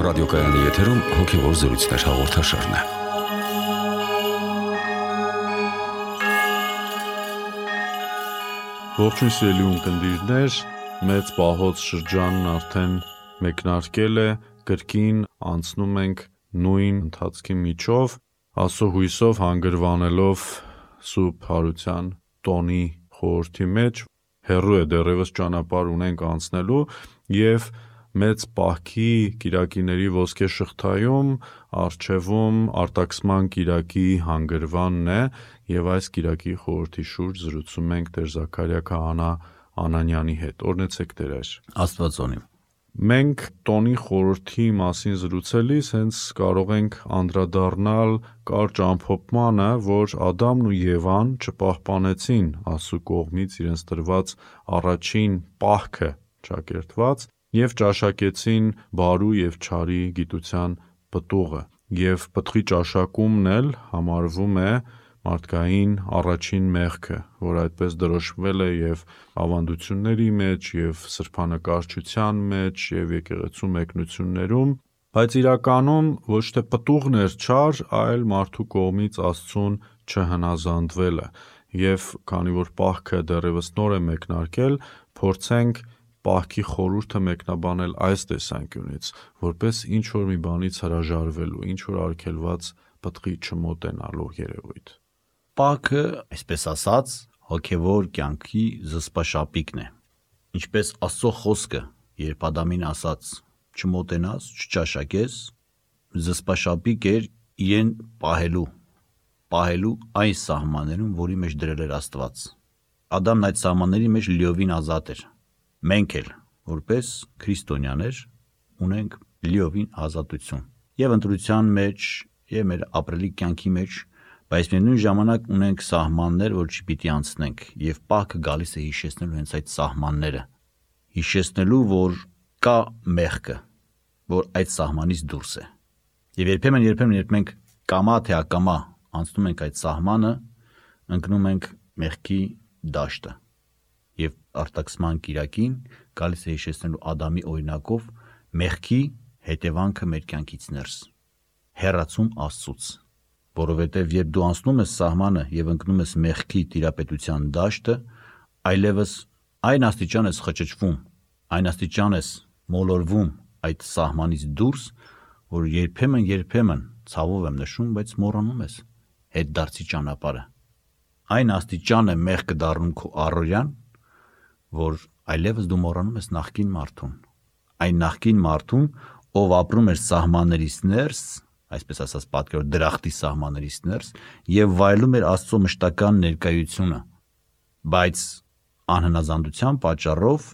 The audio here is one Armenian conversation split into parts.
ռադիոկայանի եթերում հոգևոր զրույցներ հաղորդաշարն է։ Ողջույն սիրելի ունկնդիրներ, մեծ պահոց շրջանն արդեն մեկնարկել է, կրկին անցնում ենք նույն ընթացքի միջով, Աստծո հույսով հանգրվանելով Սուրբ Հարության տոնի խորհրդի մեջ, հեռու է դեռևս ճանապարհ ունենք անցնելու և մեծ պահքի կիրակիների ոսկե շղթայում առջևում արտաքսման կիրակի հանգրվանն է և այս կիրակի խորհրդի շուրջ զրուցում ենք Տեր Զաքարիա քահանա Անանյանի հետ։ Օրհնեցեք Տեր Հայր։ Աստված օնիմ։ Մենք տոնի խորհրդի մասին զրուցելիս հենց կարող ենք անդրադառնալ կարճ ամփոփմանը, որ Ադամն ու Եվան չպահպանեցին Աստծու կողմից իրենց տրված առաջին պահքը ճակերտված և ճաշակեցին բարու և չարի գիտության պտուղը, և պտղի ճաշակումն էլ համարվում է մարդկային առաջին մեղքը, որ այդպես դրոշմվել է և ավանդությունների մեջ, և սրբանկարչության մեջ, և եկեղեցու մեկնություններում, բայց իրականում ոչ թե պտուղն էր չար, այլ մարդու կողմից Աստծուն չհնազանդվելը, և քանի որ պահքը դեռևս նոր է մեկնարկել, փորձենք պահքի խորհուրդը մեկնաբանել այս տեսանկյունից, որպես ինչ-որ մի բանից հրաժարվելու, ինչ-որ արգելված պտղի չմոտենալու երևույթ։ Պահքը, այսպես ասած, հոգևոր կյանքի զսպաշապիկն է։ Ինչպես Աստծո խոսքը, երբ Ադամին ասաց. «Չմոտենաս, չճաշակես», զսպաշապիկ էր իրեն պահելու այն սահմաններում, որի մեջ դրել էր Աստված։ Ադամն այդ սահմանների մեջ լիովին ազատ էր։ Մենք էլ, որպես քրիստոնյաներ, ունենք լիովին ազատություն և ընտրության մեջ, և մեր ապրելի կյանքի մեջ, բայց միևնույն ժամանակ ունենք սահմաններ, որ չպիտի անցնենք, և պահքը գալիս է հիշեցնելու հենց այդ սահմանները, հիշեցնելու, որ կա մեղքը, որ այդ սահմանից դուրս է։ Եվ երբեմն, երբ մենք կամա թե ակամա անցնում ենք այդ սահմանը, ընկնում ենք մեղքի դաշտը, և արտաքսման կիրակին գալիս է հիշեցնելու Ադամի օրինակով մեղքի հետևանքը մեր կյանքից ներս, հեռացում Աստծուց, որովհետև երբ դու անցնում ես սահմանը և ընկնում ես մեղքի տիրապետության դաշտը, այլևս այն աստիճան ես խճճվում, այն աստիճան ես մոլորվում այդ սահմանից դուրս, որ երբեմն ցավով եմ նշում, բայց մոռանում ես հետդարձի ճանապարհը։ Այն աստիճան է մեղքը դառնում քո առօրյան, որ այլևս դու մոռանում ես նախկին մարդուն, այն նախկին մարդուն, ով ապրում էր սահմաններից ներս, այսպես ասած պատկերով դրախտի սահմաններից ներս, և վայելում էր Աստծո մշտական ներկայությունը, բայց անհնազանդության պատճառով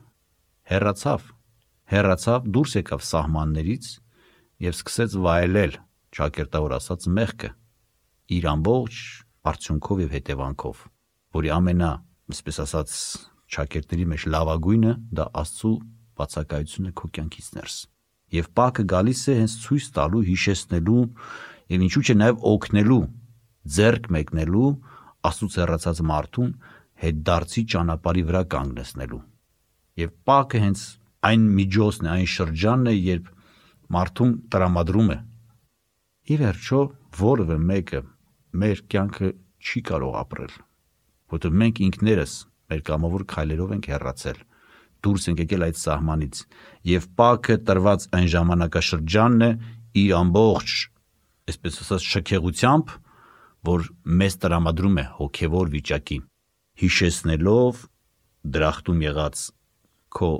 հեռացավ, դուրս եկավ սահմաններից և սկսեց վայելել, ճակերտավոր ասած, մեղքը իր ամբողջ արդյունքով և հետևանքով, որի այսպես ասած, ճակերտների մեջ լավագույնը դա Աստծու բացակայությունն է քո կյանքից ներս։ Եվ պահքը գալիս է հենց ցույց տալու, հիշեցնելու և ինչու՞ չէ նաև օգնելու, ձեռք մեկնելու Աստծուց հեռացած մարդուն հետդարձի ճանապարհի վրա կանգնեցնելու։ Եվ պահքը հենց այն միջոցն է, այն շրջանն է, երբ մարդուն տրամադրում է։ Ի վերջո, որևէ մեկը մեր կյանքը չի կարող ապրել, որովհետև մենք ինքներս մեր կամավոր քայլերով ենք հեռացել, դուրս ենք եկել այդ սահմանից, և պահքը տրված այն ժամանակաշրջանն է իր ամբողջ, այսպես ասած, շքեղությամբ, որ մեզ տրամադրում է հոգևոր վիճակի, հիշեցնելով դրախտում եղած քո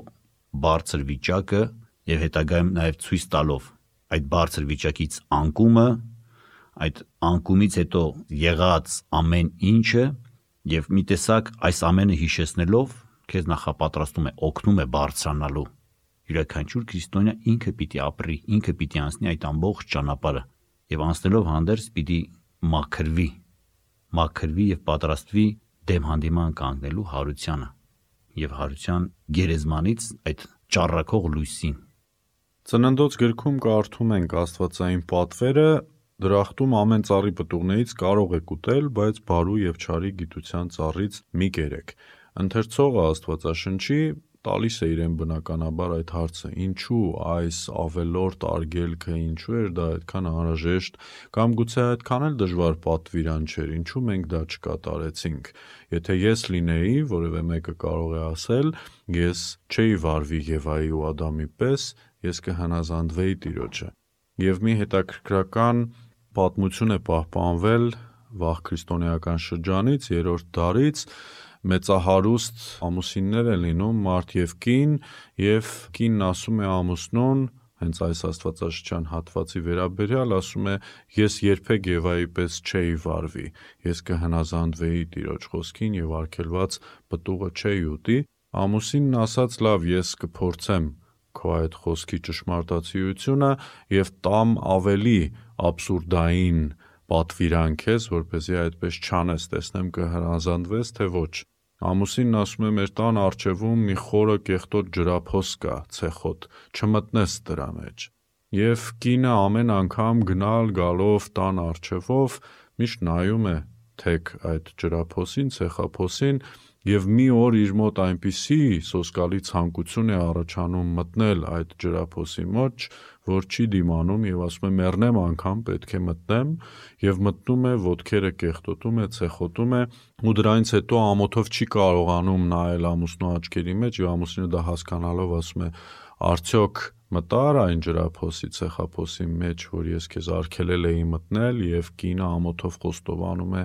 բարձր վիճակը և հետագայում նաև ցույց տալով այդ բարձր վիճակից անկումը, այդ անկումից հետո եղած ամեն ինչը, և մի տեսակ այս ամենը հիշեցնելով քեզ նախապատրաստում է, օգնում է բարձրանալու։ Յուրաքանչյուր քրիստոնյա ինքը պիտի ապրի, ինքը պիտի անցնի այդ ամբողջ ճանապարհը և անցնելով հանդերձ պիտի մաքրվի և պատրաստվի դեմ հանդիման կանգնելու հարությանը և հարության գերեզմանից այդ ճառագող լույսին։ Ծննդոց գրքում կարդում ենք աստվածային պատվերը. «Դրախտում ամեն ծառի պտուղներից կարող եք ուտել, բայց բարու և չարի գիտության ծառից մի կերեք»։ Ընթերցողը Աստվածաշնչի տալիս է իրեն բնականաբար այդ հարցը, ինչու այս ավելորդ արգելքը, ինչու էր դա այդքան անհրաժեշտ, կամ գուցե այդքան էլ դժվար պատվիրան չէր, ինչու մենք դա չկատարեցինք։ Եթե ես լինեի, որևէ մեկը կարող է ասել, ես չէի վարվի Եվայի ու Ադամի պես, ես կհնազանդվեի Տիրոջը։ Եվ մի հետաքրքրական պատմություն է պահպանվել վաղ քրիստոնեական շրջանից, 3-րդ դարից, մեծահարուստ ամուսիններ են լինում, մարդ եւ կին, եւ կինն ասում է ամուսնուն, հենց այս աստվածաշրջան հատվածի վերաբերյալ, ասում է, ես երբեք Եվայի պես չէի վարվի, ես կհնազանդվեի Տիրոջ խոսքին եւ արգելված պտուղը չէի ուտի։ Ամուսինն ասաց, լավ, ես կփորձեմ քո այդ խոսքի ճշմարտացիությունը եւ տամ ավելի աբսուրդային պատվիրանք ես, որպեսզի այդպես չանես, տեսնեմ կհնազանդվես, թե ոչ։ Ամուսինն ասում է, մեր տան առջևում մի խորը կեղտոտ ջրափոս կա, ցեխոտ, չմտնես դրա մեջ։ Եվ կինը ամեն անգամ գնալ գալով տան առջևով միշտ նայում է թեք այդ ջրափոսին, ցեխափոսին, եւ մի օր իր մոտ այնպիսի սոսկալի ցանկություն է առաջանում մտնել այդ ջրափոսի մոտ, որ չի դիմանում եւ ասում է մեռնեմ անգամ պետք է մտնեմ, եւ մտնում է, ոտքերը կեղտոտում է, ցեխոտում է, ու դրանից հետո ամոթով չի կարողանում նայել ամուսնու աչքերի մեջ, եւ ամուսինը դա հասկանալով ասում է արդյոք մտար այն ջրափոսի, ցեխափոսի մեջ, որ ես քեզ արգելել էի մտնել, եւ կինը ամոթով խոստովանում է,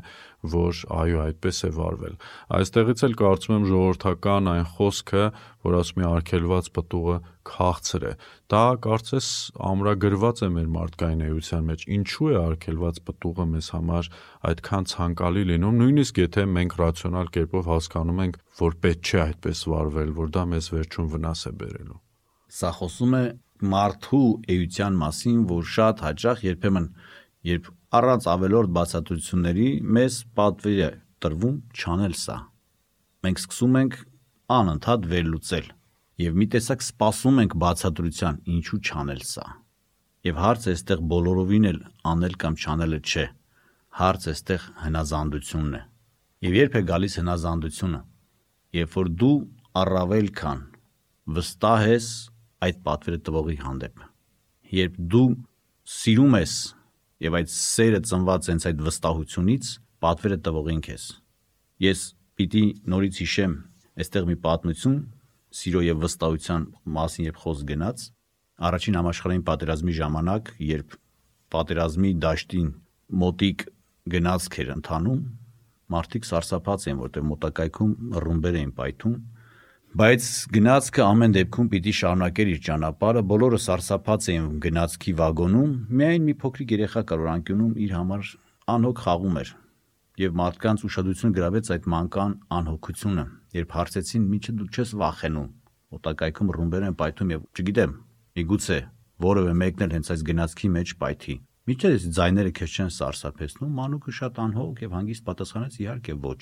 որ այո, այդպես է վարվել։ Այստեղից էլ կարծում եմ ժողովրդական այն խոսքը, որ ասում է արգելված պտուղը քաղցր է, դա կարծես ամրագրված է մեր մարդկային էության մեջ, ինչու է արգելված պտուղը մեզ համար այդքան ցանկալի լինում, նույնիսկ եթե մենք ռացիոնալ կերպով հասկանում ենք, որ պետք չէ այդպես վարվել, որ դա մեզ վերջում վնաս է բերելու։ Սա խոսում է մարդու էության մասին, որ շատ հաճախ երբեմն, երբ առանց ավելորդ բացատրությունների մեզ պատվիր է տրվում չանել սա։ Մենք սկսում ենք անընդհատ վերլուծել եւ մի տեսակ սպասում ենք բացատրության, ինչու չանել սա։ Եվ հարցը այստեղ բոլորովին էլ անել կամ չանելը չէ։ Հարցը այստեղ հնազանդությունն է։ Եվ երբ է գալիս հնազանդությունը, երբ որ դու առավել քան վստահ ես այդ պատվերը տվողի հանդեպ, երբ դու սիրում ես եւ այդ սերը ծնված հենց այդ վստահությունից պատվերը տվողին քեզ։ Ես պիտի նորից հիշեմ այստեղ մի պատմություն սիրո եւ վստահության մասին, երբ խոսք գնաց առաջին համաշխարհային պատերազմի ժամանակ, երբ պատերազմի դաշտին մոտիկ գնացք էր ընթանում, մարդիկ սարսափած էին, որտեղ մոտակայքում ռումբեր էին պայթում, բայց գնացքը ամեն դեպքում պիտի շարունակեր իր ճանապարհը, բոլորը սարսափած էին գնացքի վագոնում, միայն մի փոքրիկ երեխա կար, որ անկյունում իր համար անհոգ խաղում էր, եւ մարդկանց ուշադրությունը գրավեց այդ մանկան անհոգությունը, երբ հարցեցին՝ «Միչը դու չես վախենում, մոտակայքում ռումբեր են պայթում եւ չգիտեմ, միգուցե որևէ մեկն էլ հենց այս գնացքի մեջ պայթի, միչը այս ձայները քեզ չեն սարսափեցնում»։ Մանուկը շատ անհոգ եւ հանգիստ պատասխանեց՝ «Իհարկե ոչ»։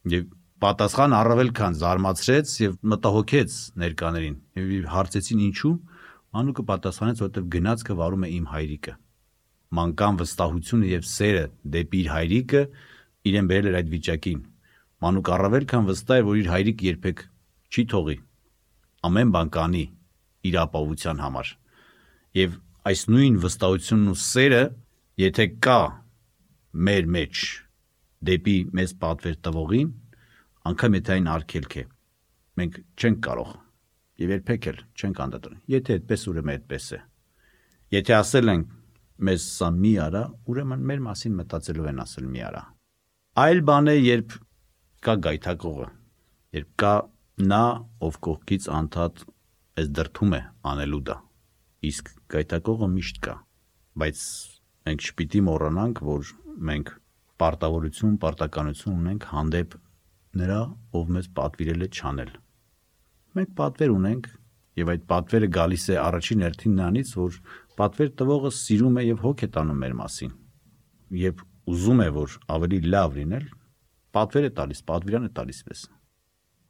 Եվ պատասխան առավել քան զարմացրեց եւ մտահոգեց ներկաներին։ Եվ հարցեցին ինչու, մանուկը պատասխանեց, որովհետեւ գնացքը վարում է իմ հայրիկը։ Մանկան վստահությունը եւ սերը դեպի իր հայրիկը իրեն բերել էր այդ վիճակին։ Մանուկ առավել քան վստահ էր, որ իր հայրիկը երբեք չի թողի, ամեն բան կանի իր ապահովության համար։ Եվ այս նույն վստահությունն ու սերը, եթե կա մեր մեջ դեպի մեզ պատվեր տվողին, անգամ եթե այն արգելք է, մենք չենք կարող եւ երբեք էլ չենք անդրադառնալ։ Եթե այդպես, ուրեմն այդպես է։ Եթե ասել են մեզ սա մի արա, ուրեմն մեր մասին մտածելով են ասել մի արա։ Այլ բան է, երբ կա գայթակողը, երբ կա նա, ով կողքից անդադ այս դրթում է անելու դա, իսկ գայթակողը միշտ կա, բայց մենք չպիտի մոռանանք, որ մենք պարտավորություն, պարտականություն ունենք հանդեպ նրա, ով մեզ պատվիրել է չանել։ Մենք պատվեր ունենք, եւ այդ պատվերը գալիս է առաջին հերթին նրանից, որ պատվեր տվողը սիրում է եւ հոգ է տանում մեր մասին, եւ ուզում է, որ ավելի լավ լինել, պատվեր է տալիս, պատվիրան է տալիս մեզ։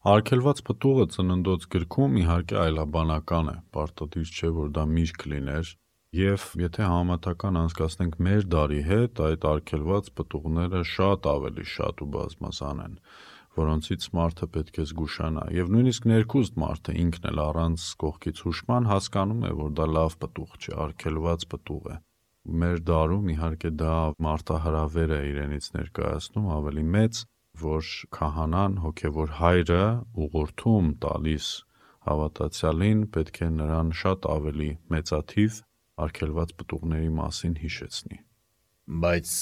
Արգելված պտուղը ծննդոց գրքում իհարկե այլաբանական է, պարտադիր չէ, որ դա միրգ լիներ, եւ եթե համեմատական անցկացնենք մեր դարի հետ, այդ արգելված պտուղները շատ ավելի շատ ու բազմազան են, որոնցից մարդը պետք է զգուշանա, եւ նույնիսկ ներքուստ մարդը ինքն էլ առանց կողքից հուշման հասկանում է, որ դա լավ պտուղ չէ, արգելված պտուղ է։ Մեր դարում իհարկե դա մարտահրավեր է իրենից ներկայացնում ավելի մեծ, որ քահանան, հոգևոր հայրը ուղղորդում տալիս հավատացյալին, պետք է նրան շատ ավելի մեծաթիվ արգելված պտուղների մասին հիշեցնի։ Բայց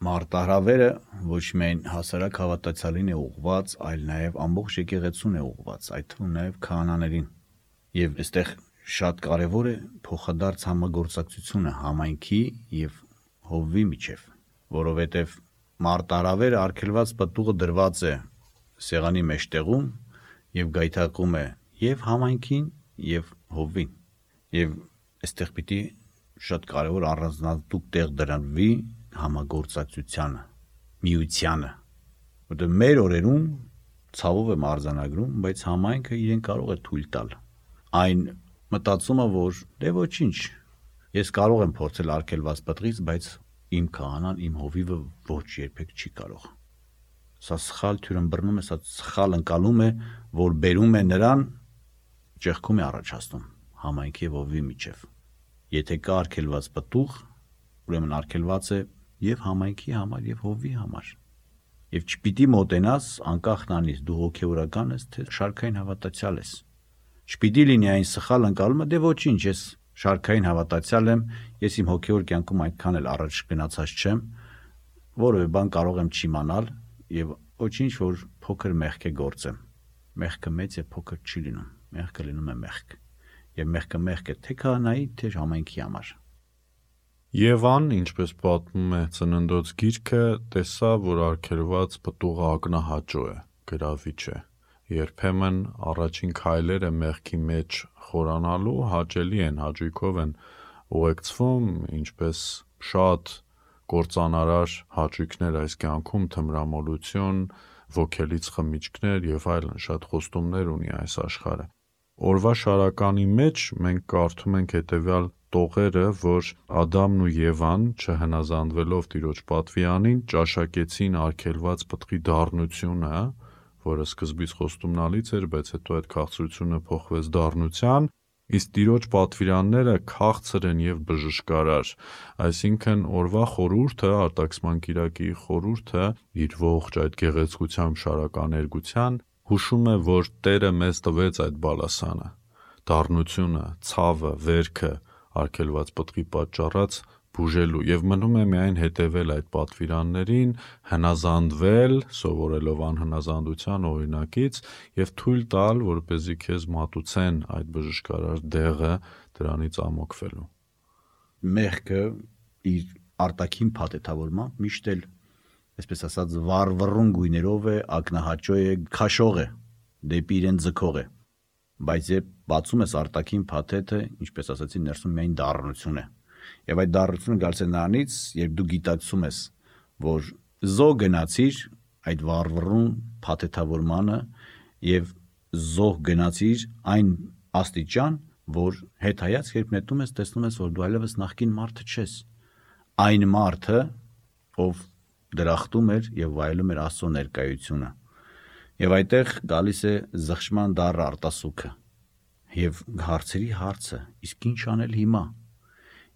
մարտահրավերը ոչ միայն հասարակ հավատացյալին է ուղղված, այլ նաև ամբողջ եկեղեցուն է ուղղված, այդ թվում նաև քահանաներին։ Եվ այստեղ շատ կարևոր է փոխադարձ համագործակցությունը համայնքի եւ հովվի միջև, որովհետև մարտահրավերը արգելված պտուղը դրված է սեղանի մեջտեղում եւ գայթակղում է եւ համայնքին եւ հովվին։ Եվ այստեղ պիտի շատ կարևոր առանձնահատուկ տեղ դրվի համագործակցությանը, միությանը, որտեղ մեր օրերում ցավով եմ արձանագրում, բայց համայնքը իրեն կարող է թույլ տալ այն մտածումը, որ դե ոչինչ, ես կարող եմ փորձել արգելված պտղից, բայց իմ քահանան, իմ հովիվը ոչ երբեք չի կարող։ Սա սխալ թյուրըմբռնում է, սա սխալ ընկալում է, որ բերում է նրան, ճեղքում է առաջացնում համայնքի եւ հովվի միջև։ Եթե կա արգելված պտուղ, ուրեմն արգելված է եւ համայնքի համար եւ հովվի համար։ Եվ չպիտի մոտենաս անկախ նրանից դու հոգեորական ես, թե շարքային հավատացյալ ես։ Չպիտի լինի այն սխալ ընկալումը, դե ոչինչ, ես շարքային հավատացյալ եմ, ես իմ հոգեոր կյանքում այդքան էլ առաջ գնացած չեմ, որևէ բան կարող եմ չիմանալ եւ ոչինչ, որ փոքր մեղք է գործեմ։ Մեղքը մեծ է, փոքր չի լինում։ Մեղքը լինում է մեղք։ Եվ մեղքը մեղք է թե քահանայի, թե համայնքի համար։ Եվան, ինչպես պատմում է Ծննդոց գիրքը, տեսավ, որ արգելված պտուղը ակնահաճո է, գրավիչ է։ Երբեմն առաջին քայլերը մեղքի մեջ խորանալու հաճելի են, հաճույքով են ուղեկցվում, ինչպես շատ կործանարար հաճույքներ այս կյանքում, թմրամոլություն, ոգելից խմիչքներ եւ այլն, շատ խոստումներ ունի այս աշխարհը։ Օրվա շարականի մեջ մենք կարդում ենք հետևյալ տողերը, որ Ադամն ու Եվան, չհնազանդվելով Տիրոջ պատվիրանին, ճաշակեցին արգելված պտղի դառնությունը, որը սկզբից խոստումնալից էր, բայց հետո այդ քաղցրությունը փոխվեց դառնության, իսկ Տիրոջ պատվիրանները քաղցր են եւ բժշկարար, այսինքն օրվա խորհուրդը, արտաքսման կիրակի խորհուրդը իր ողջ այդ գեղեցկությամբ շարականերգության հուշում է, որ Տերը մեզ տվեց այդ բալասանը, դառնությունը, ցավը, վերքը, արգելված պտղի պատճառած բուժելու եւ մնում է միայն հետևել այդ պատվիրաններին, հնազանդվել, սովորելով անհնազանդության օրինակից եւ թույլ տալ, որպեսզի քեզ մատուցեն այդ բժշկարար դեղը դրանից ամոքվելու։ Մեղքը իր արտաքին փաթեթավորմամբ միշտ էլ, այսպես ասած, վառվռուն գույներով է, ակնահաճո է, քաշող է, դեպի իրեն ձգող է։ Բայց երբ բացում ես արտաքին փաթեթը, ինչպես ասացի, ներսում միայն դառնություն է։ Եվ այդ դառնությունը գալիս է նրանից, երբ դու գիտակցում ես, որ զոհ գնացիր այդ վառվռուն փաթեթավորմանը եւ զոհ գնացիր այն աստիճան, որ հետայաց երբ նետում ես, տեսնում ես, որ դու այլևս նախկին մարդը չես։ Այն մարդը, ով դրախտում էր եւ վայելում էր Աստծո ներկայությունը։ Եվ այդտեղ գալիս է զղջման դառը արտասուքը եւ հարցերի հարցը, իսկ ինչ անել հիմա։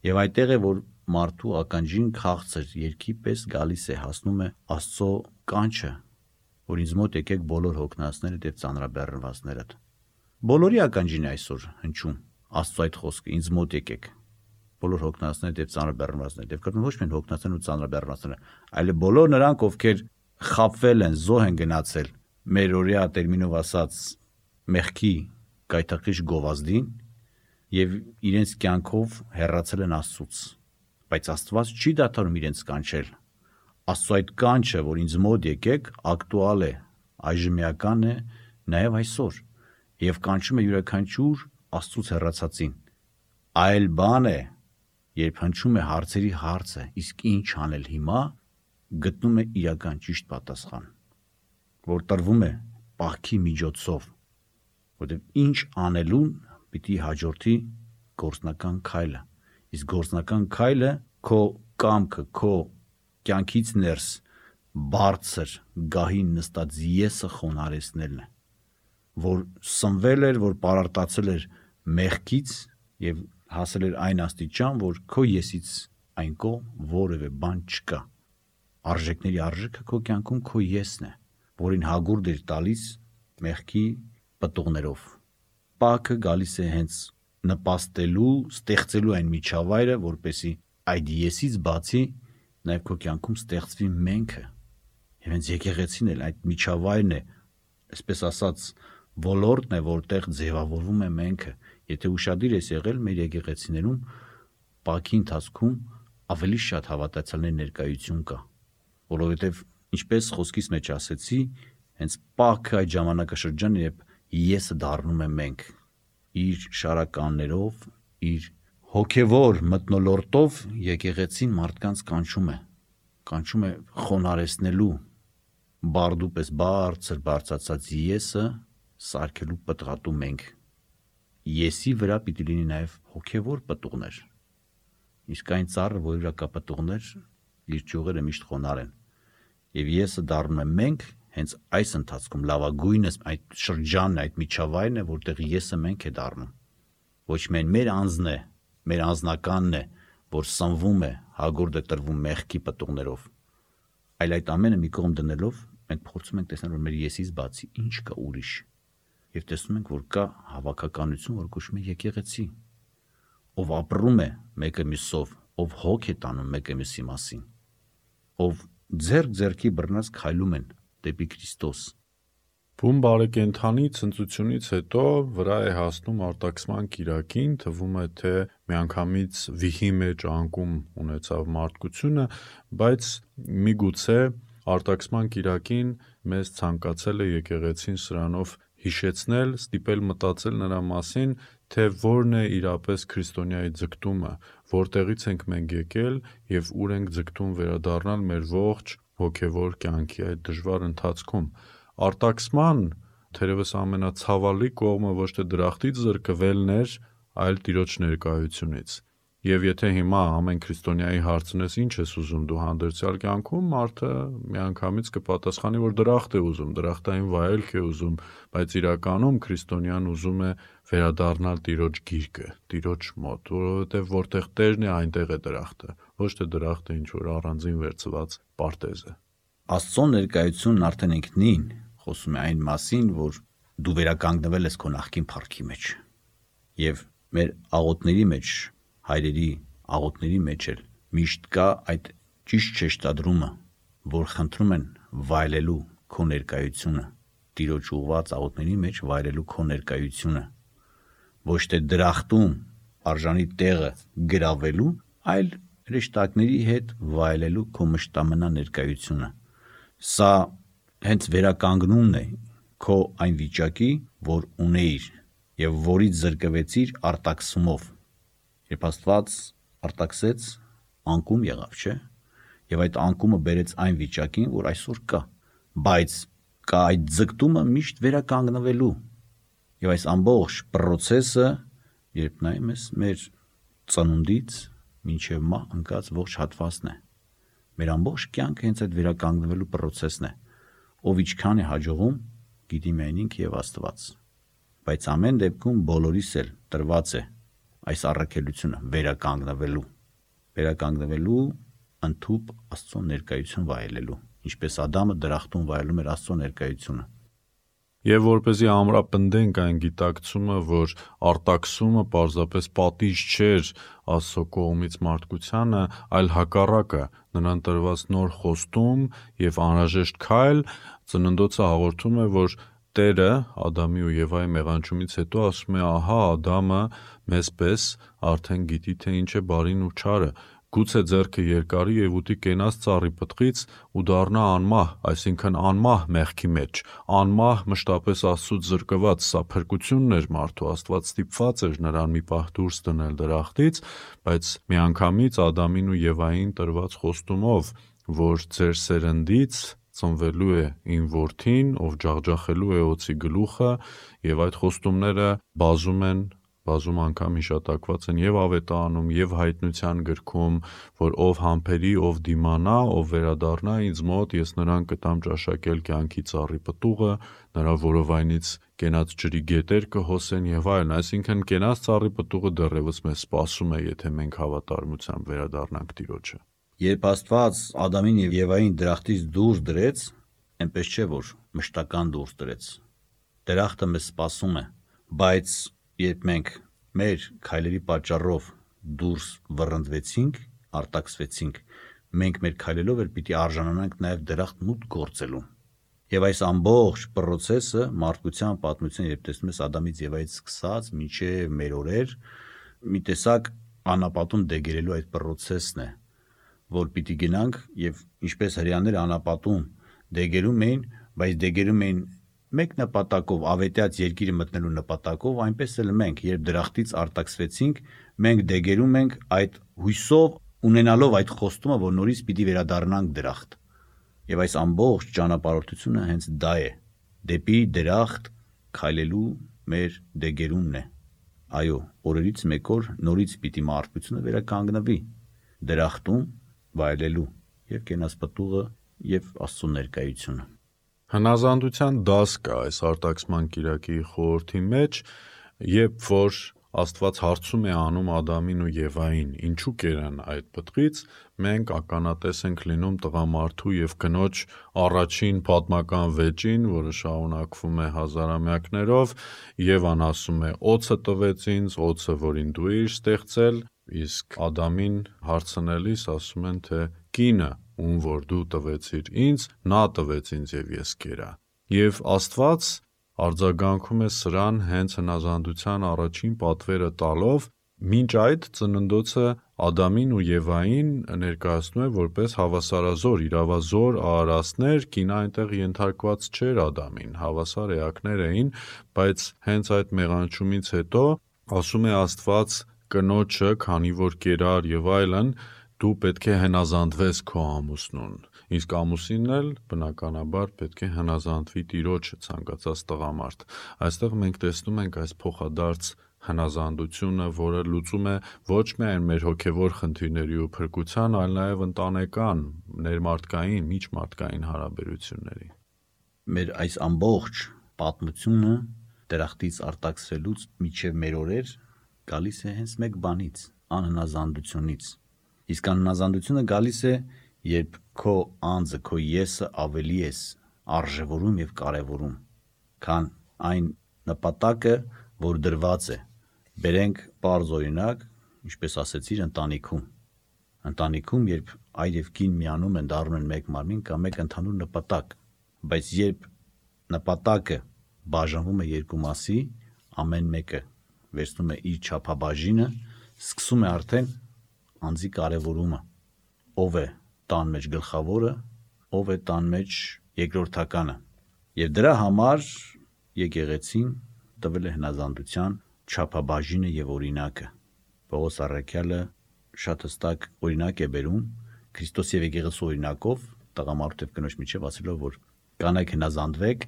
Եվ այդտեղ է, որ մարդու ականջին քաղցր երկի պես գալիս է, հասնում է Աստծո կանչը, որ ինձ մոտ եկեք բոլոր հոգնածներդ եւ ծանրաբեռնվածներդ։ Բոլորի ականջին է այսօր հնչում Աստծո այդ խոսքը, ինձ մոտ եկեք բոլոր հոգնածներդ եւ ծանրաբեռնվածներդ։ Եվ կրկնում ոչ միայն հոգնածներն ու ծանրաբեռնվածները, այլ բոլոր նրանք, ովքեր խաբվել են, զոհ են գնացել մեր օրյա տերմինով ասած մեղքի գայթակղիչ գովազդին եւ իրենց կյանքով հեռացել են Աստծուց, բայց Աստված չի դադարում իրենց կանչել։ Աստծո այդ կանչը, որ ինձ մոտ եկեք, ակտուալ է, այժմեական է նաեւ այսօր եւ կանչում է յուրաքանչյուր Աստծուց հեռացածին։ Այլ բան է, երբ հնչում է հարցերի հարցը, իսկ ինչ անել հիմա, գտնում է իրական ճիշտ պատասխան, որ տրվում է պահքի միջոցով, որտեղ ինչ անելուն պիտի հաջորդի գործնական քայլը, իսկ գործնական քայլը քո կամքը, քո կյանքից ներս բարձր գահին նստած եսը խոնարհեցնելն է, որ սնվել էր, որ պարարտացել էր մեղքից եւ հասել էր այն աստիճան, որ քո եսից այն կողմ որևէ բան չկա։ Արժեքների արժեքը քո կյանքում քո եսն է, որին հագուրդ էր տալիս մեղքի պտուղներով։ Պակը գալիս է հենց նպաստելու, ստեղծելու այն միջավայրը, որպեսի այդ եսից բացի նաև քո կյանքում ստեղծվի մենքը։ Եվ հենց եկեղեցին էլ այդ միջավայրն է, այսպես ասած, ոլորտն է, որտեղ ձևավորվում է մենքը։ Եթե ուշադիր ես եղել մեր եկեղեցիներում, Պակի ընթացքում ավելի շատ հավատացյալների ներկայություն կա, որովհետև ինչպես խոսքից մեջ ասեցի, հենց Պակը այդ ժամանակաշրջանը, երբ եսը դառնում է մենք, իր շարականներով, իր հոգևոր մթնոլորտով եկեղեցին մարդկանց կանչում է խոնարհեցնելու բարդու պես բարձր բարձրացած եսը սարքելու պտղատու մենք։ Եսի վրա պիտի լինի նաև հոգևոր պտուղներ, իսկ այն ծառը, որի վրա կա պտուղներ, իր ճյուղերը միշտ խոնարհ են։ Եվ եսը դառնում է մենք հենց այս ընթացքում լավագույնս այդ շրջանն է, այդ միջավայրն է, որտեղ եսը մենք է դառնում։ Ոչ միայն մեր անձն է, մեր անձնականն է, որ սնվում է, հագուրդ է տրվում մեղքի պտուղներով, այլ այդ ամենը մի կողմ դնելով մենք փորձում ենք տեսնել, որ մեր եսից բացի ինչ կա ուրիշ, եւ տեսնում ենք, որ կա հավաքականություն, որ կոչվում է եկեղեցի, ով ապրում է մեկը մյուսով, ով հոգ է տանում մեկը մյուսի մասին, ով ձեռք-ձեռքի բռնած քայլում են դեպի Քրիստոս։ Բուն բարեկենդանի ցնծությունից հետո վրա է հասնում արտաքսման կիրակին, թվում է, թե միանգամից վիհի մեջ անկում ունեցավ մարդկությունը, բայց միգուցե արտաքսման կիրակին մեզ ցանկացել է եկեղեցին սրանով հիշեցնել, ստիպել մտածել նրա մասին, թե որն է իրապես քրիստոնյայի ձգտումը, որտեղից ենք մենք եկել եւ ուր ենք ձգտում վերադառնալ մեր ողջ հոգևոր կյանքի այդ դժվար ընթացքում։ Արտաքսման թերևս ամենացավալի կողմը ոչ թե դրախտից զրկվելն էր, այլ Տիրոջ ներկայությունից։ Եվ եթե հիմա ամեն քրիստոնյայի հարցնես ինչ ես ուզում դու հանդերձյալ կյանքում, մարդը միանգամից կպատասխանի, որ դրախտ է ուզում, դրախտային վայելք է ուզում, բայց իրականում քրիստոնյան ուզում է վերադառնալ Տիրոջ գիրկը, Տիրոջ մոտ, որովհետև որտեղ Տերն է, այնտեղ է դրախտը, ոչ թե դրախտը ինչ որ առանձին վերցված պարտեզ է։ Աստծո ներկայությունն արդեն ինքնին խոսում է այն մասին, որ դու վերականգնվել ես քո նախկին փառքի մեջ։ Եվ մեր աղոթների մեջ, հայրերի աղոթների մեջ էլ միշտ կա այդ ճիշտ շեշտադրումը, որ խնդրում են վայելելու քո ներկայությունը, Տիրոջ ուղված աղոթների մեջ վայելելու քո ներկայությունը, ոչ թե դրախտում արժանի տեղը գրավելու, այլ հրեշտակների հետ վայելելու քո մշտամնա ներկայությունը։ Սա հենց վերականգնումն է քո այն վիճակի, որ ունեիր եւ որից զրկվեցիր արտաքսումով։ Երբ Աստված արտաքսեց, անկում եղավ, չէ՞։ Եվ այդ անկումը բերեց այն վիճակին, որ այսօր կա, բայց կա այդ ձգտումը միշտ վերականգնվելու։ Եվ այս ամբողջ process-ը, երբ նայում ես մեր ծնունդից մինչև մահ ընկած ողջ հատվածն է։ Մեր ամբողջ կյանքը հենց այդ վերականգնվելու process-ն է։ Ով ինչքան է հաջողում, գիտի միայն ինքը եւ Աստված։ Բայց ամեն դեպքում բոլորիս էլ տրված է այս առաքելությունը վերականգնվելու ընդհուպ Աստծո ներկայություն վայելելու, ինչպես Ադամը դրախտում վայելում էր Աստծո ներկայությունը։ Եվ որպեսզի ամրապնդենք այն գիտակցումը, որ արտաքսումը պարզապես պատիժ չէր Աստծո կողմից մարդկությանը, այլ հակառակը, նրան տրված նոր խոստում եւ անհրաժեշտ քայլ, Ծննդոցը հաղորդում է, որ Տերը Ադամի ու Եվայի մեղանչումից հետո ասում է, ահա Ադամը մեզ պես արդեն գիտի, թե ինչ է բարին ու չարը, գուցե ձեռքը երկարի եւ ուտի կենաց ծառի պտղից ու դառնա անմահ, այսինքն անմահ մեղքի մեջ, անմահ մշտապես Աստծուց զրկված, սա փրկությունն էր մարդու, Աստված ստիպված էր նրան մի պահ դուրս դնել դրախտից, բայց միանգամից Ադամին ու Եվային տրված խոստումով, որ ձեր սերնդից ծնվելու է իմ որդին, ով ջախջախելու է օձի գլուխը, եւ այդ խոստումները բազում են բազում անգամ հիշատակված են եւ Ավետարանում, եւ Հայտնության գրքում, որ ով համբերի, ով դիմանա, ով վերադառնա ինձ մոտ, ես նրան կտամ ճաշակել կյանքի ծառի պտուղը, նրա որովայնից կենաց ջրի գետեր կհոսեն եւ այլն, այսինքն կենաց ծառի պտուղը դեռևս մեզ սպասում է, եթե մենք հավատարմությամբ վերադառնանք Տիրոջը։ Երբ Աստված Ադամին եւ Եվային դրախտից դուրս դրեց, այնպես չէ որ մշտական դուրս դրեց։ Դրախտը մեզ սպասում է, բայց երբ մենք մեր քայլերի պատճառով դուրս վռնդվեցինք, արտաքսվեցինք, մենք մեր քայլելով էլ պիտի արժանանանք նաեւ դրախտ մուտք գործելու։ Եվ այս ամբողջ process-ը մարդկության պատմության, երբ տեսնում ես Ադամից Եվայից սկսած մինչև մեր օրեր, մի տեսակ անապատում դեգերելու այդ process-ն է, որ պիտի գնանք եւ ինչպես հрьяաները անապատում դեգերում էին, բայց դեգերում էին մեկ նպատակով, ավետյաց երկիրը մտնելու նպատակով, այնպես էլ մենք, երբ դրախտից արտաքսվեցինք, մենք դեգերում ենք այդ հույսով, ունենալով այդ խոստումը, որ նորից պիտի վերադառնանք դրախտ։ Եվ այս ամբողջ ճանապարհորդությունը հենց դա է, դեպի դրախտ քայլելու մեր դեգերումն է։ Այո, օրերից մեկ օր նորից պիտի մարդկությունը վերականգնվի դրախտում վայելելու եւ կենասպտուղը եւ Աստծո ներկայությունը։ Հնազանդության դաս կա այս արտաքսման կիրակի խորհրդի մեջ, երբ որ Աստված հարցում է անում Ադամին ու Եվային, ինչու կերան այդ պտղից, մենք ականատես ենք լինում տղամարդու եւ կնոջ առաջին պատմական վեճին, որը շարունակվում է հազարամյակներով, Եվան ասում է. «Օձը տվեց ինձ, օձը, որին դու էիր ստեղծել», իսկ Ադամին հարցնելիս ասում են, թե կինը, ում որ դու տվեցիր ինձ, նա տվեց ինձ եւ ես կերա։ Եվ Աստված արձագանքում է սրան հենց հնազանդության առաջին պատվերը տալով, մինչ այդ ծննդոցը Ադամին ու Եվային ներկայացնում է որպես հավասարազոր, իրավազոր արարածներ, կինը այնտեղ ենթարկված չէր Ադամին, հավասար էակներ էին, բայց հենց այդ մեղանչումից հետո ասում է Աստված կնոջը, քանի որ կերար եւ այլն, դու պետք է հնազանդվես քո ամուսնուն, իսկ ամուսինն էլ բնականաբար պետք է հնազանդվի Տիրոջը, ցանկացած տղամարդ։ Այստեղ մենք տեսնում ենք այս փոխադարձ հնազանդությունը, որը լուծում է ոչ միայն մեր հոգևոր խնդիրների ու փրկության, այլ նաև ընտանեկան, ներմարդկային, միջմարդկային հարաբերությունների։ Մեր այս ամբողջ պատմությունը դրախտից արտաքսվելուց մինչև մեր օրեր գալիս է հենց մեկ բանից, անհնազանդությունից։ Իսկ անհնազանդությունը գալիս է, երբ քո անձը, քո եսը ավելի ես արժևորում եւ կարեւորում, քան այն նպատակը, որ դրված է։ Բերենք պարզ օրինակ, ինչպես ասեցիր, ընտանիքում, երբ այր եւ կին միանում են, դառնում են մեկ մարմին կամ մեկ ընդհանուր նպատակ, բայց երբ նպատակը բաժանվում է երկու մասի, ամեն մեկը վերցնում է իր չափաբաժինը, սկսում է արդեն անձի կարևորումը, ով է տան մեջ գլխավորը, ով է տան մեջ երկրորդականը։ Եվ դրա համար եկեղեցին տվել է հնազանդության չափաբաժինը եւ օրինակը։ Պողոս առաքյալը շատ հստակ օրինակ է բերում Քրիստոս եւ եկեղեցու օրինակով, տղամարդու եւ կնոջ միջեւ ասելով, որ կանայք հնազանդվեք,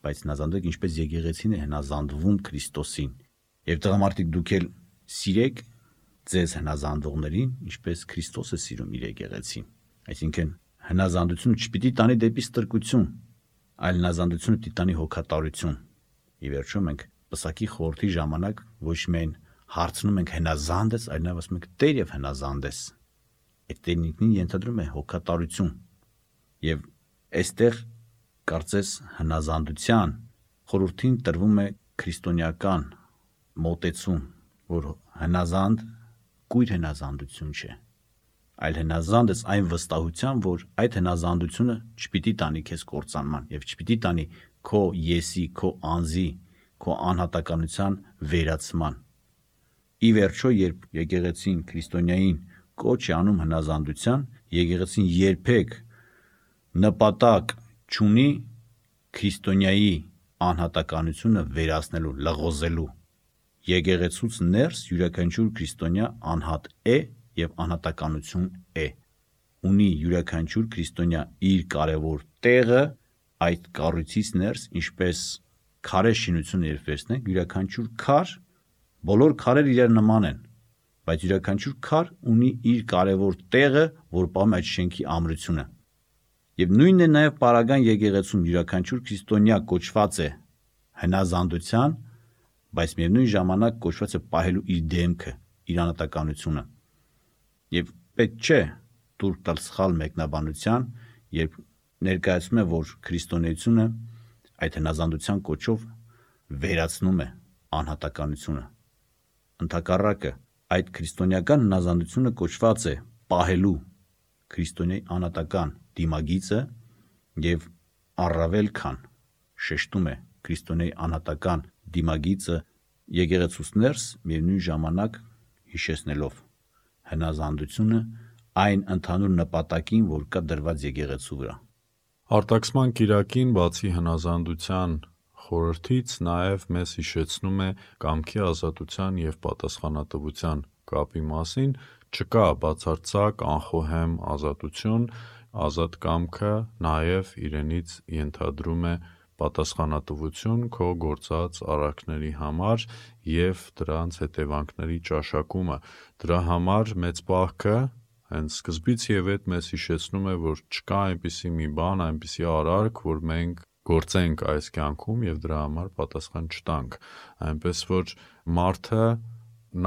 բայց հնազանդվեք ինչպես եկեղեցին է հնազանդվում Քրիստոսին։ Եվ տղամարդիկ դուք էլ սիրեք ձեզ հնազանդողներին, ինչպես Քրիստոս է սիրում իր եկեղեցին։ Այսինքն հնազանդությունը չպիտի տանի դեպի ստրկություն, այլ հնազանդությունը պիտի տանի հոգատարություն։ Ի վերջո մենք պսակի խորհրդի ժամանակ ոչ միայն հարցնում ենք հնազանդ ես, այլ նաև ասում ենք Տեր եւ հնազանդ ես։ Այդ Տերն ինքնին ենթադրում է հոգատարություն։ Եվ այստեղ կարծես հնազանդության խորհրդին տրվում է քրիստոնեական մոտեցում, որ հնազանդ կույր հնազանդություն չէ, այլ հնազանդ ես այն վստահությամբ, որ այդ հնազանդությունը չպիտի տանի քեզ կործանման եւ չպիտի տանի քո եսի, քո անձի, քո անհատականության վերացման։ Ի վերջո, երբ եկեղեցին քրիստոնյային կոչ է անում հնազանդության, եկեղեցին երբեք նպատակ չունի քրիստոնյայի անհատականությունը վերացնելու, լղոզելու։ Եկեղեցուց ներս յուրաքանչյուր քրիստոնյա անհատ է եւ անհատականություն է։ Ունի յուրաքանչյուր քրիստոնյա իր կարևոր տեղը այդ կառույցից ներս, ինչպես քարե շինությունը երբ վերցնենք, յուրաքանչյուր քար Բոլոր քարերը իրար նման են, բայց յուրաքանչյուր քար ունի իր կարևոր տեղը, որ պահում է այդ շենքի ամրությունը։ Եվ նույնն է նաև Պարագան եկեղեցում յուրաքանչյուր քրիստոնյա կոչված է հնազանդության, բայց միևնույն ժամանակ կոչված է պահելու իր դեմքը, իր անհատականությունը։ Եվ պետք չէ տուրք տալ սխալ մեկնաբանության, երբ ներկայացնում է, որ քրիստոնեությունը այդ հնազանդության կոչով վերացնում է անհատականությունը։ Ընդհակառակը, այդ քրիստոնեական հնազանդությունը կոչված է պահելու քրիստոնեի անհատական դիմագիծը եւ առավել քան շեշտում է քրիստոնեի անհատական դիմագիծը եկեղեցուց ներս, միևնույն ժամանակ հիշեցնելով հնազանդությունը այն ընդհանուր նպատակին, որ կա դրված եկեղեցու վրա։ Արտաքսման կիրակին բացի հնազանդության խորհրդից նաև մեզ հիշեցնում է կամքի ազատության և պատասխանատվության կապի մասին, չկա բացարձակ անխոհեմ ազատություն, ազատ կամքը նաև իրենից ենթադրում է պատասխանատվություն քո գործած արարքների համար և դրանց հետևանքների ճաշակումը։ Դրա համար մեծ պահքը հենց սկզբից և հետ մեզ հիշեցնում է, որ չկա այնպիսի մի բան, այնպիսի արարք, որ մենք գործենք այս կյանքում և դրա համար պատասխան չտանք, այնպես որ մարդը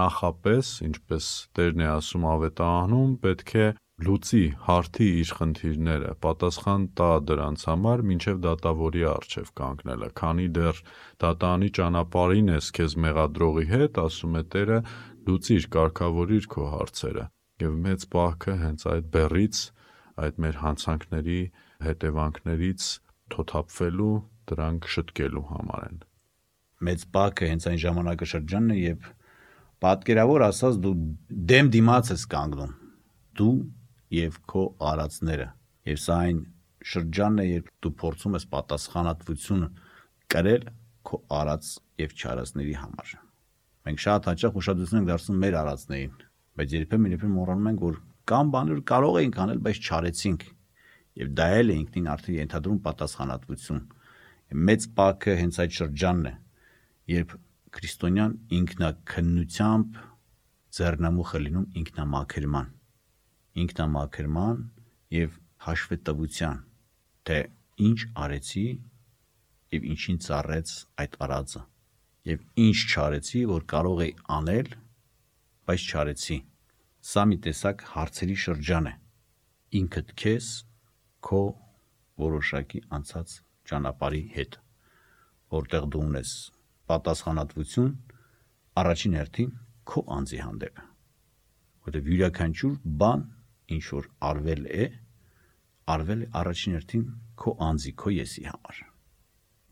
նախապես, ինչպես Տերն է ասում ավետարանում, պետք է լուծի, հարթի իր խնդիրները, պատասխան տա դրանց համար, մինչև դատավորի առջև կանգնելը, քանի դեռ դատանի ճանապարհին ես քեզ մեղադրողի հետ, ասում է Տերը, լուծիր, կարգավորիր քո հարցերը, և մեծ պահքը հենց այդ բեռից, այդ մեր հանցանքների հետևանքներից թոթափվելու, դրանք շտկելու համար են։ Մեծ պահքը հենց այն ժամանակաշրջանն է, երբ պատկերավոր ասած դու դեմ դիմաց ես կանգնում, դու և քո արածները, և սա այն շրջանն է, երբ դու փորձում ես պատասխանատվություն կրել քո արած և չարածների համար։ Մենք շատ հաճախ ուշադրություն ենք դարձնում մեր արածներին, բայց երբեմն մոռանում ենք, որ կան բաներ, որ կարող էինք անել, բայց չարեցինք, և դա էլ է ինքնին արդեն ենթադրում պատասխանատվություն։ Մեծ պահքը հենց այդ շրջանն է, երբ քրիստոնյան ինքնաքննությամբ ձեռնամուխ է լինում ինքնամաքրման և հաշվետվության, թե ինչ արեցի և ինչին ծառեց այդ արածը, և ինչ չարեցի, որ կարող էի անել, բայց չարեցի։ Սա մի տեսակ հարցերի շրջան է ինքդ քեզ քո որոշակի անցած ճանապարհի հետ, որտեղ դու ունես պատասխանատվություն առաջին հերթին քո անձի հանդեպ, որտեղ յուրաքանչյուր բան, ինչ որ արվել է առաջին հերթին քո անձի, քո եսի համար,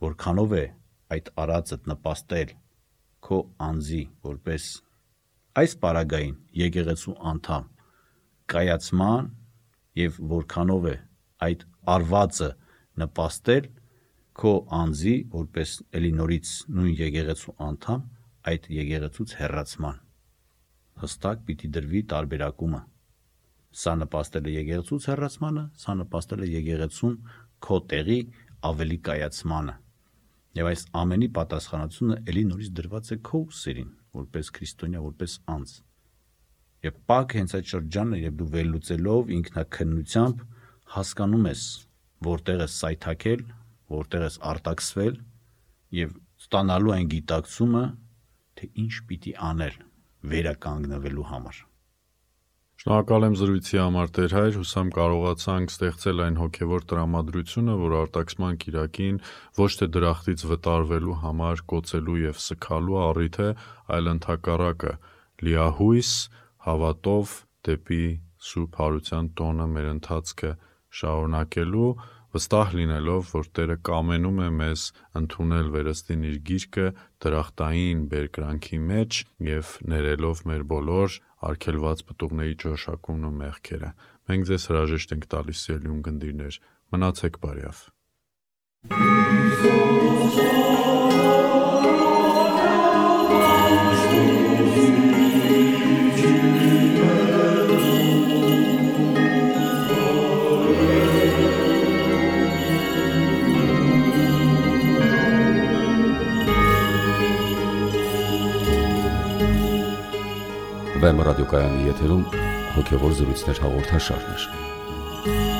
որքանով է այդ արածդ նպաստել քո անձի որպես այս պարագային եկեղեցու անդամ կայացման և որքանով է այդ արվածը նպաստել քո անձի որպես էլի նորից նույն եկեղեցու անդամ այդ եկեղեցուց հեռացման, հստակ պիտի դրվի տարբերակումը։ Սա նպաստել է եկեղեցուց հեռացմանը, սա նպաստել է եկեղեցում քո տեղի ավելի կայացմանը, և այս ամենի պատասխանատվությունը էլի նորից դրված է քո ուսերին, որպես քրիստոնյա, որպես անձ։ Եվ պահքը հենց այդ շրջանն է, երբ դու վերլուծելով ինքնաքննությամբ հասկանում ես, որտեղ ես սայթաքել, որտեղ ես արտաքսվել և ստանալու այն գիտակցումը, թե ինչ պիտի անել վերականգնվելու համար։ Շնորհակալ եմ զրույցի համար Տեր Հայր, հուսամ կարողացանք ստեղծել այն հոգևոր տրամադրությունը, որ արտաքսման կիրակին ոչ թե դրախտից վտարվելու համար կոծելու և սգալու առիթ է, այլ ընդհակառակը լիահույս հավատով դեպի Սուրբ Հարության տոնը մեր ընթացքը շարունակելու, վստահ լինելով, որ Տերը կամենում է մեզ ընդունել վերստին իր գիրկը դրախտային բերկրանքի մեջ և ներելով մեր բոլոր արգելված պտուղների ճաշակումն ու մեղքերը։ Մենք ձեզ հրաժեշտ ենք տալիս, սիրելի ունկնդիրներ, մնացեք բարյավ։ Վեմ ռադիոկայանի եթերում հոգևոր զրույցներ հաղորդաշարներ։